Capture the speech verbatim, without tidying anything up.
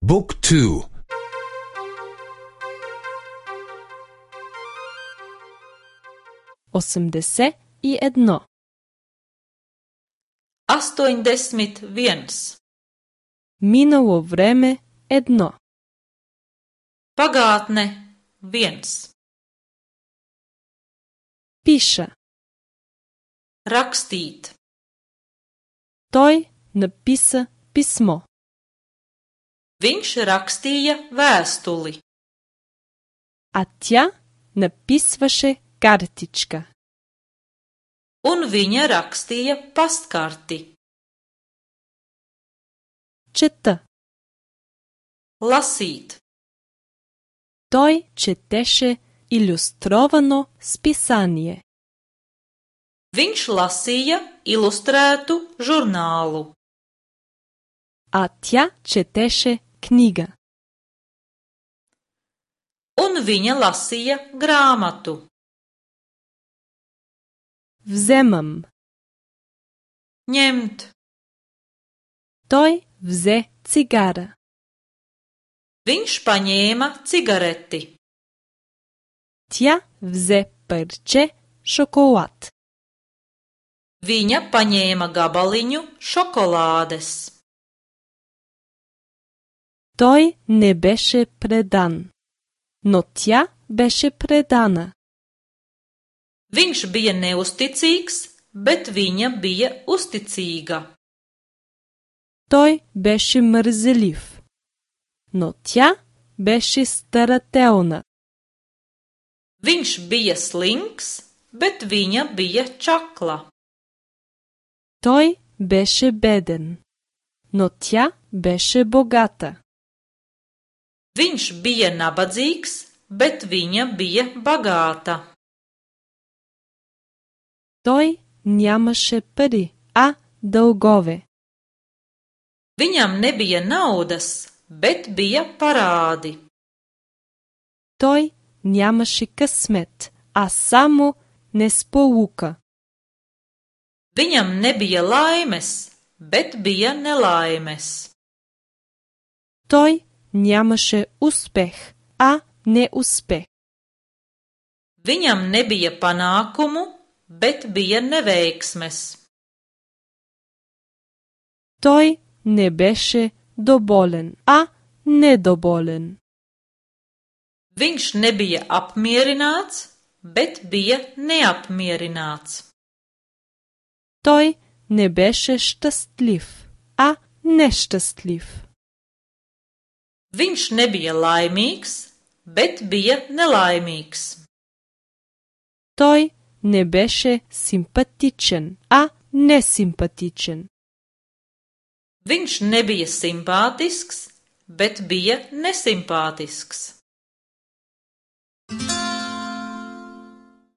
Book two. Osemdeset i jedno. Astoņdesmit viens. Minulo vreme jedno. Pagātne viens. Piše. Rakstīt. Той написа писмо. Viņš rakstīja vēstuli. А тя написваше картичка. Un viņa rakstīja pastkarti. Чета. Lasīt. Той четеше илюстровано списание. Viņš lasīja ilustrētu žurnālu. А тя четеше книга. Un viņa lasīja grāmatu. Вземам. Ņemt. Той взе цигара. Viņš paņēma cigareti. Тя взе парче шоколад. Viņa paņēma gabaliņu šokolādes. Той не беше предан, но тя беше предана. Viņš bija neusticīgs, bet viņa bija uzticīga. Той беше мързелив, но тя беше старателна. Viņš bija slinks, bet viņa bija čakla. Той беше беден, но тя беше богата. Viņš bija nabadzīgs, bet viņa bija bagāta. Той нямаше пари, а дългове. Viņam nebija naudas, bet bija parādi. Той нямаше късмет, а само несполука. Viņam nebija laimes, bet bija nelaimes. Той нямаше успех, а неуспех. Viņam nebija panākumu, bet bija neveiksmes. Той не беше доволен, а недоволен. Viņš nebija apmierināts, bet bija neapmierināts. Той не беше щастлив, а нещастлив. Viņš nebija laimīgs, bet bija nelaimīgs. Той не беше симпатичен, а несимпатичен. Viņš nebija simpātisks, bet bija nesimpātisks.